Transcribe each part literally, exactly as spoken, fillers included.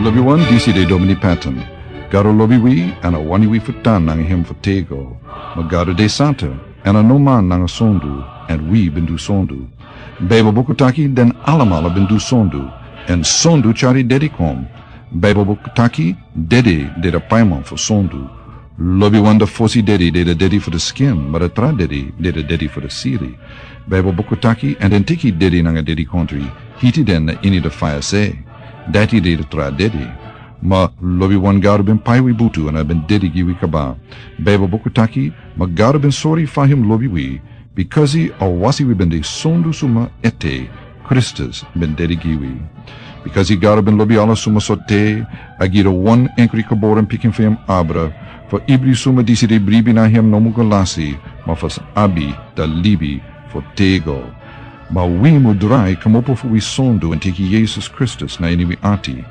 Lobi wan, disi de Domini Patton. Gado lobi wi, èn a wani wi fu tan nanga hem fu tego. Ma Gado de santa, èn a no man nanga sondu, èn wi ben du sondu. Baibel buku taki den alamala ben du sondu, èn sondu tyari dedi kon. Baibel buku taki dedi de de paiman fu sondu. Lobi wan, de fosi dedi de de dedi fu de skin, ma de tra dedi de de dedi fu de siri. Baibel buku taki, èn den teki dedi nanga dedi kontri, hiti den na ini de faya se. Dati de de tra dedi. Ma lobi wan, Gado ben pai wi butu èn a ben dedi gi wi kaba. Baibel buku taki, ma Gado ben sori fa hem lobi wi, bikasi a wasi wi ben de sondu suma ete, Kristus ben dedi gi wi. Bikasi Gado ben lobi ala suma sorte, a gi de wan enkri geboren pikin fu hem abra, fu ibri suma disi de bribi na hem no mu go lasi, ma fu sa abi de libi fu tego. Ma wi mu drai kmopo fu wi sondu èn teki Yesus Kristus na ini wi ati.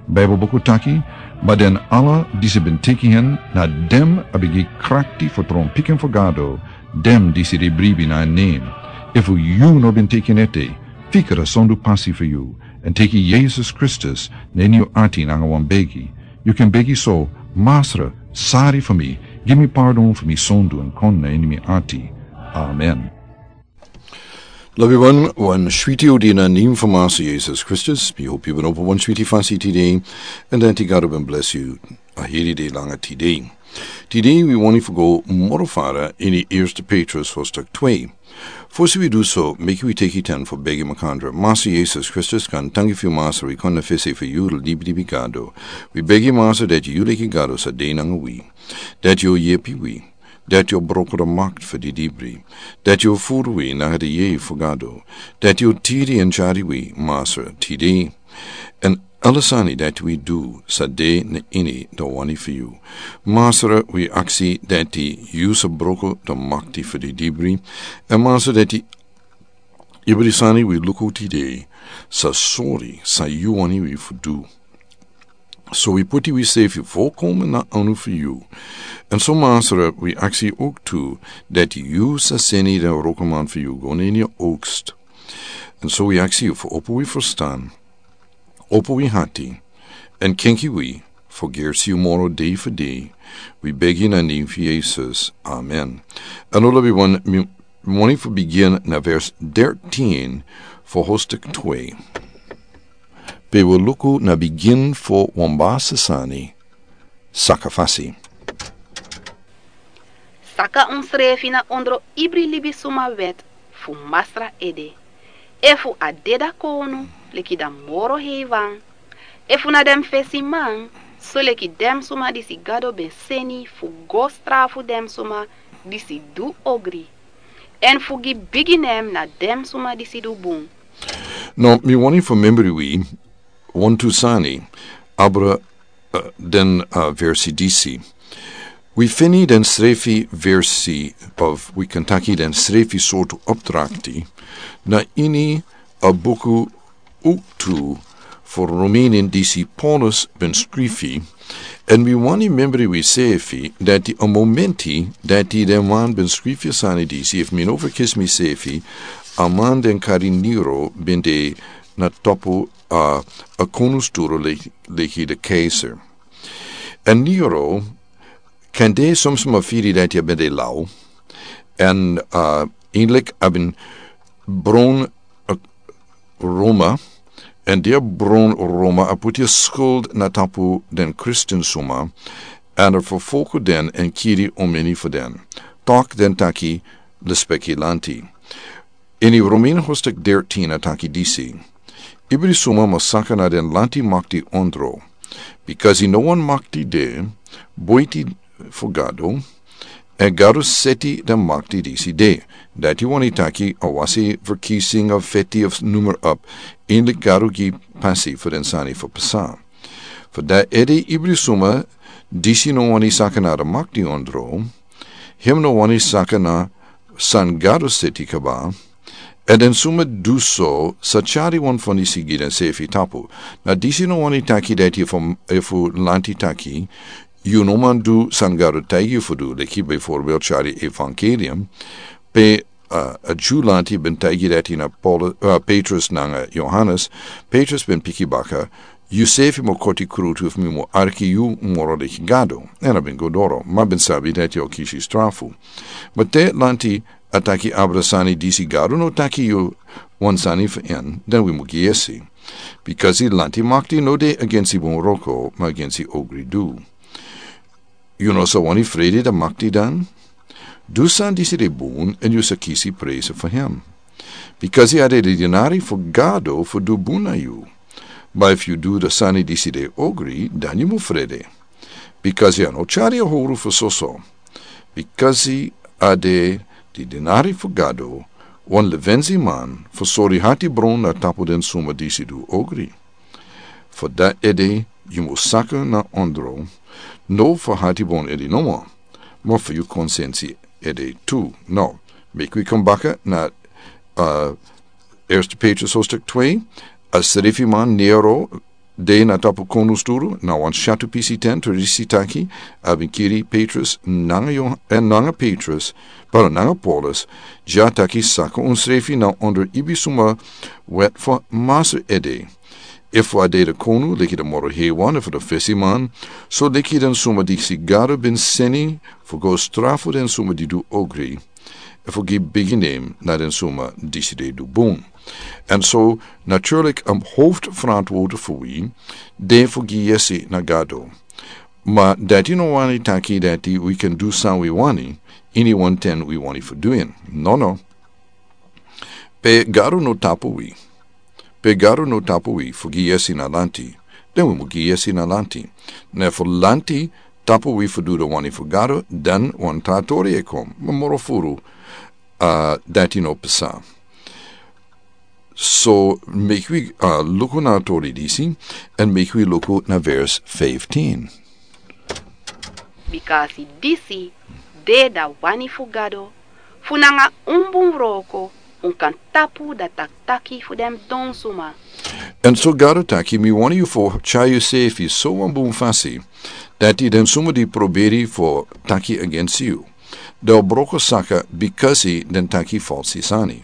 Baibel buku taki, ma den ala disi ben teki hen, na den a ben gi krakti fu tron pikin fu Gado, den disi de bribi na en nen. Efu yu no ben teki en ete, fika de sondu pasi fu yu, èn teki Yesus Kristus na ini yu ati nanga wan begi. Yu kan begi so: Masra, sari fu mi, gi mi pardon fu mi sondu èn kon na ini mi ati. Amen. Lobi wan, wan switi odi na nen fu Masra Yesus Kristus. Mi hopi yu ben opo wan switi fasi tide, èn dati Gado ben blesi yu a heri dei langa tide. Tide wi wani fu go moro fara ini Eerste Petrus hoofdstuk twee. Fosi wi du so, meki wi teki ten fu begi makandra. Masra Yesus Kristus, kan tangi fu yu Masra, wi kon na fesi fu yu, libi libi Gado. Wi begi Masra dati yu leki Gado sa de nanga wi. Dati yu yepi wi. Dati yu broko de makti fu didibri. Dati yu furu wi nanga de yeye fu Gado. Dati yu tiri èn tyari wi, Masra, tide. Èn ala sani dati wi du sa de na ini de wani fu yu. Masra, wi aksi dati yu sa broko de makti fu didibri. Èn Masra, dati ibri sani wi luku tide sa sori san yu wani wi fu du. So wi puti wi sefi volkomen na anu fu yu. Èn so Masra, wi aksi yu ok tu dati yu sa seni den wrokoman fu yu go na ini yu oogst. Èn so wi aksi yu fu opo wi ferstan, opo wi ati, èn kenki wi fu gersi yu moro dei fu dei. Wi begi na nen fu Yesus. Amen. Èn lobi wan, mi wani fu bigin na vers dertien fu hoofdstuk twee. Pe wi luku na bigin fu wan basi sani, sakafasi. Saka unsrefi na ondro ibri libisuma wet fu Masra ede. Efu a de, dan kownu leki dan moro heiwan. Efu na den fesiman, so leki den suma disi Gado ben seni fu go strafu den suma disi du ogri, èn fu gi bigi nen na den suma disi du bun. No, mi wani fu membri wi wantu sani abra, eh, den, eh, versi disi. Wi feni den srefi versi, of wi kan taki den srefi sortu opdrakti, na ini a buku Oktu fu Romeinen disi Paulus ben skrifi, èn wi wani membri wi sefi dati a momenti dati den man ben skrifi a sani disi, efu mi no ferkisi mi sefi, a man den kari Nero ben de na tapu a, a konungsstoel le-, leki de keizer. Èn Nero, kande somsma firi dati a ben de lau, èn, a, eindelijk a ben bron, a, Roma, èn di a bron Roma, a puti a skuld na tapu den Kristin suma, èn a ferfolgu den èn kiri omeni fu den. Taki den taki lespeki lanti. Ini Romein hoofdstuk dertien a taki disi: Ibri suma mus saka na den lanti makti ondro. Bikasi no wan makti de buiti fu Gado, èn Gado seti den makti disi de. Dati wani taki a wasi ferkiezing of feti of noem maar op, eindelijk Gado gi pasi fu den sani fu pasa. Fu dati ede ibri suma disi no wani saka na den makti ondro, hem no wani saka na san Gado seti kaba, èn den suma du so sa tyari wan fondisi gi densefi tapu. Na disi no wani taki dati efu, efu lanti taki yu no man du san Gado taigi yu fu du, leki bijvoorbeeld tyari evangelium, pe, a, a Dyu lanti ben taigi dati na Paul-, a, Petrus nanga Johannes, Petrus ben piki baka, Yu sefi mo koti krutu fu mi mo arki yu moro leki gado. Èn a ben go doro ma ben sabi dati o kisi strafu. Ma te lanti a taki abra sani disi gado no taki yu wan sani fu en dan wi mu gi yesi. Bikasi lanti makti no de agensi bun roko ma agensi ogri du. Yu no sa wani fredi da makti dan? Du san disi de bun èn yu sa kisi presi fu hem. Bikasi a de de dinari fu gado fu du bun na yu. Ma efu yu du da sani disi de ogri dan yu mu frede. Bikasi a no tyari a howru fu soso. Bikasi a de di dinari fu gado wan levensi man fu sori hati bron na tapu den suma disi du ogri. Fu dati ede yu mus saka na ondro. No fu hati bron ede nomo ma fu yu konsensi ede tu. No. Meki wi kon baka na uh, Eerste Petrus hoofdstuk twee. A srefi man nero de na tapu konu sturu na wan shatu pisi ten tradisi taki a bin kiri Petrus nanga Johan en nanga Petrus para nanga Paulus. Dya taki saka un srefi na onder ibi suma wet fu masu ede. Efu a de de konu leki de moro hewan efu de fesi man so leki den suma disi gado bin seni fu go strafu den suma di du ogri. Efu gi bigi nem na den suma disi de du bun. En so naturlik a hoofdverantwoord fu wi de fu gi yesi na gado. Ma dati no wani taki dati wi kan du san wi wani ini wan ten wi wani fu du en. No no. Pe gado no tapu wi. Pe gado no tapu wi fu gi yesi na lanti. Den wi mu gi yesi na lanti. Ne fu lanti tapu wi fu du de wani fu gado dan wan tatori e kon ma moro furu. Uh, dati no pesa. So meki wi uh, luku na tori disi en meki wi luku na vers fifteen. Bikasi disi de da wani fu gado fu nanga un bun wroko un kan tapu da taktaki fu den don suma. En so gado taki mi wani yu fo tyai yu sefi so wan bun fasi dati den suma di proberi fo taki agensi yu. Den o broko saka bikasi den taki falsi sani.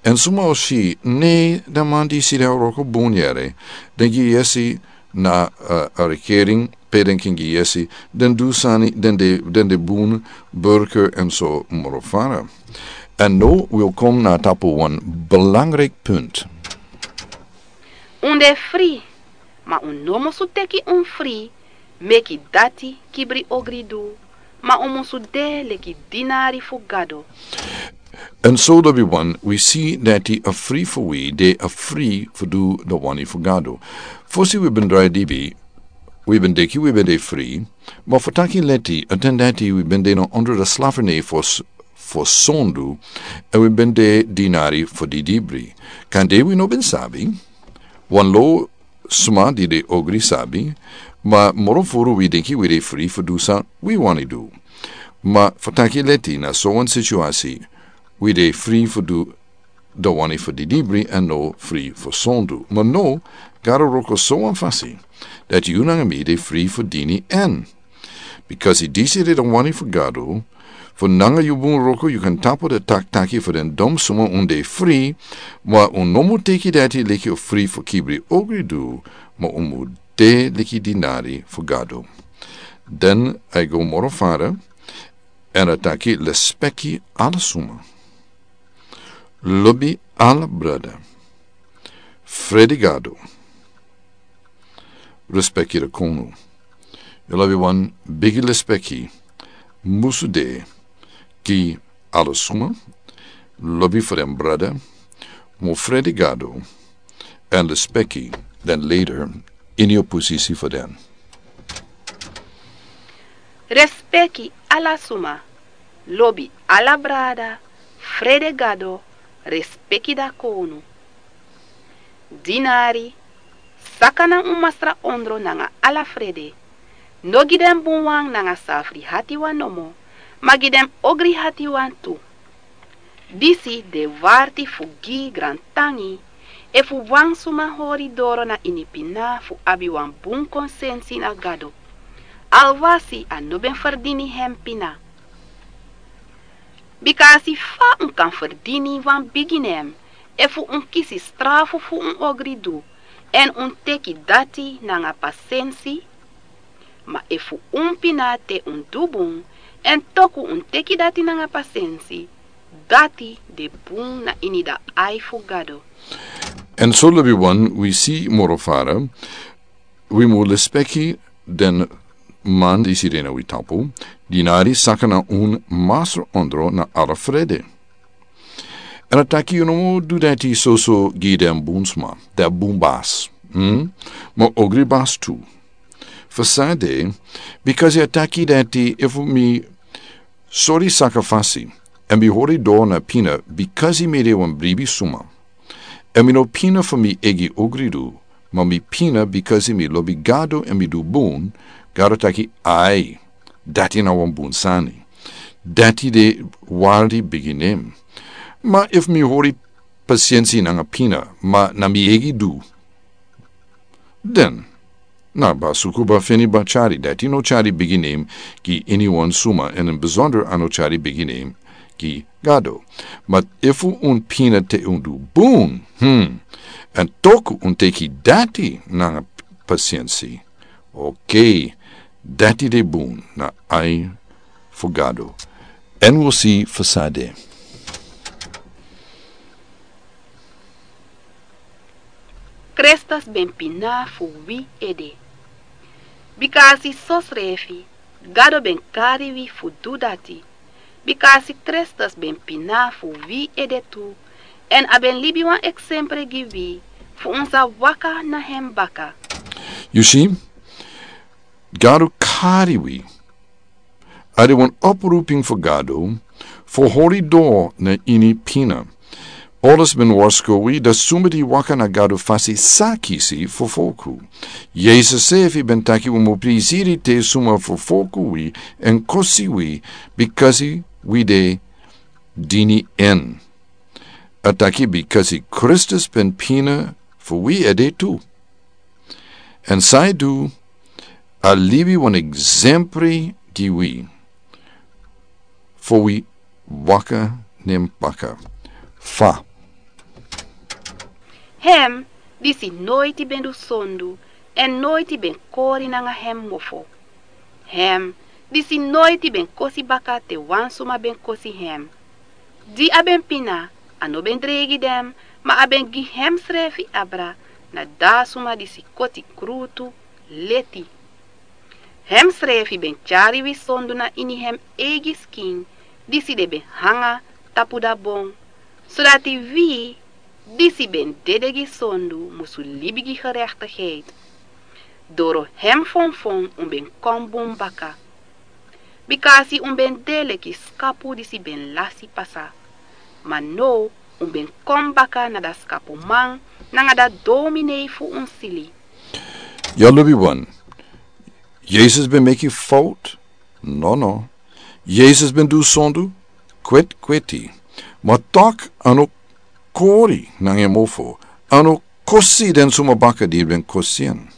En suma o si ne den man di si den o broko bun yere den gi yesi na uh, a rekering pe den kin gi yesi den du sani den de den de bun burker en so moro fara. En no wil kom na tapu wan belangrijk punt. Un de fri ma un no musu teki un fri meki dati kibri ogri du ma un musu de leki dinari fu gado. En so lobi wan wi si dati a fri fu wi de a fri fu du da wani fu gado. Fosi wi ben drai dibi wi ben deki wi ben de fri ma fu taki leti a ten dati wi ben de na ondro da slaferne fo sondu. En wi ben de dinari fu di dibri kan de wi no ben sabi. Wan lo sma di de ogri sabi ma moro furu wi denki wi de fri fu du san wi wani du. Ma fu taki leti na so wan situasi wi de fri fu du da wani fu di dibri en no fri fu sondu ma no gado roko so wan fasi dati yu nanga mi de fri fu dini en. Bikasi disi de da wani fu gado fu nanga yu bun roko yu kan tapu da taktaki fu den dom suma un de fri. Ma un no mu teki dati leki yu fri fu kibri ogri du ma un mu de leki dinari fu gado. Den a go moro fara en a taki lespeki ala suma. Lobi ala brada. Fredi gado. Respeki da konu. Yu lobi wan bigi lespeki musu de gi ala suma. Lobi fu den brada. Mu fredi gado. En lespeki den leder ini yu posisi fu den. Respeki ala suma. Lobi ala brada. Frede gado. Respeki da konu. Dinari saka na un masra ondro nanga ala frede. No gi den bunwan nanga safri hatiwan nomo ma gi den ogri hatiwan tu. Disi de warti fu gi grantangi efu wan suma hori doro na ini pina fu abi wan bun konsensi na gado. Alwasi a no ben ferdini hen pina. Bika a si fa un kan ferdini wan bigi nen efu un kisi strafu fu un ogri du. Èn un teki dati nanga pasensi. Ma efu un pina te un du bun, èn toku un teki dati nanga pasensi, dati de bun na ini da ai fu Gado. Èn so lobi wan wi si moro fara, wi mu lespeki den man di si de na wi tapu, di nari saka na un masra ondro na ala frede. Èn a taki yu no mu du dati soso gi den bun sma, den bun basi, hmm? Ma ogri basi tu. Fu san de, bikasi a taki dati efu mi sori saka fasi, èn mi hori doro na pina, bikasi mi de wan bribi suma. Èn mi no pina fu mi eigi ogri du, ma mi pina bikasi mi lobi Gado èn mi du bun, Gado taki ai, dati na wan bun sani. Dati de wardi bigi nen. Ma efu mi hori pasensi nanga pina, ma na mi eigi du, den, na ba suku ba feni ba tyari, dati no tyari bigi nen gi iniwan suma, èn ini besonder a no tyari bigi nen gi Gado. Ma efu un pina te un du bun, hmm, èn toku un teki dati nanga pasensi, oké, dati de bun na ai fu Gado. Èn wi si fu san de. Kristus ben pina fu wi ede. Bikasi sosrefi, Gado ben kari wi fu du dati. Bikasi Kristus ben pina fu wi ede tu. Èn a ben libi wan eksempre gi wi, fu un sa waka na hem baka. Yu si, Gado kari wi. A de wan oproeping fu Gado, fu hori doro na ini pina. Paulus ben warsko wi, dati suma di waka na Gado fasi sa kisi fufuru. Yesus srefi ben taki wi mu prisiri te suma fufuru wi, èn kosi wi, bikasi wi de dini en. A taki bikasi Kristus ben pina fu wi ede tu. Èn san a du, a libi wan eksempre gi wi. Fu wi waka na hem baka. Fa. Hem, disi noiti ben du sondu, èn noiti ben kori nanga hem mofo. Hem, disi noiti ben kosi baka te wan suma ben kosi hem. Di a ben pina, a no ben dreigi den, ma a ben gi hemsrefi abra, na da suma disi koti krutu leti. Hemsrefi ben tyari wi sondu na ini hem eigi skin, disi den ben hanga tapu da bon, sodati wi, disi ben dede gi sondu, musu libi gi gerechtigheid. Doro hem fonfon un ben kon bun baka. Bikasi un ben de leki skapu disi ben lasi pasa. Ma now un ben kon baka na da skapuman, nanga da dominei fu un sili. Yu lobi wan. Yesus ben meki fout? Nono. Yesus ben du sondu? Kwetkweti. Ma tok a no kori nanga en mofo. A no kosi den suma baka di ben kosi en.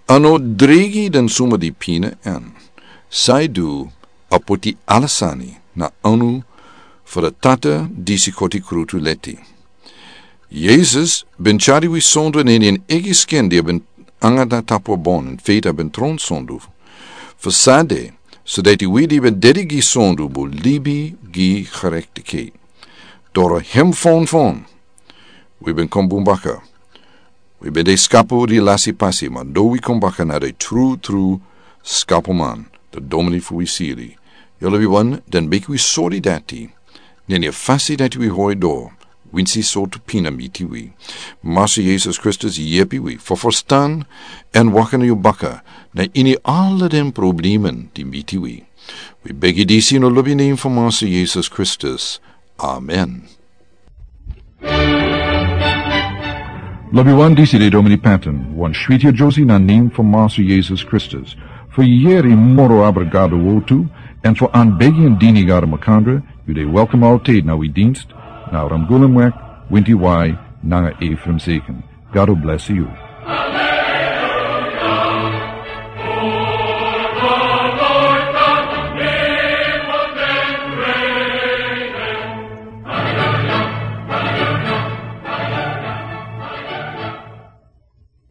A no dreigi den suma di pina en. San a du, a poti ala sani na anu fu da Tata disi koti krutu leti. Yesus ben tyari wi sondu na ini en eigi skin di a ben hanga na tapu bon, èn feti a ben tron sondu. Fu san de, sodati wi di ben dede gi sondu mu libi gi gerechtigheid. Doro hem fonfon wi ben kon bun baka. Wi ben de skapu di lasi pasi, ma now wi kon baka na da trutru skapuman, da dominei fu wi sili. Yu lobi wan, dan meki wi sori dati. Na ini a fasi dati wi hori doro, winsi sortu pina miti wi. Masra Yesus Kristus yepi wi fu ferstan èn waka na yu baka na ini ala den problemen di miti wi. Wi begi disi na lobi nen fu Masra Yesus Kristus. Amen. Lobi wan, disi de Dominee Patton, wan switi a Josie na nen fu Masra Yesus Kristus. Fu yere moro abra Gado wortu, èn fu anbegi en dini Gado makandra, yu de welkom altijd na wi dienst, na Ramgulemweg, Winti Wai, nanga Ephraim Zeken. Gado blesi yu.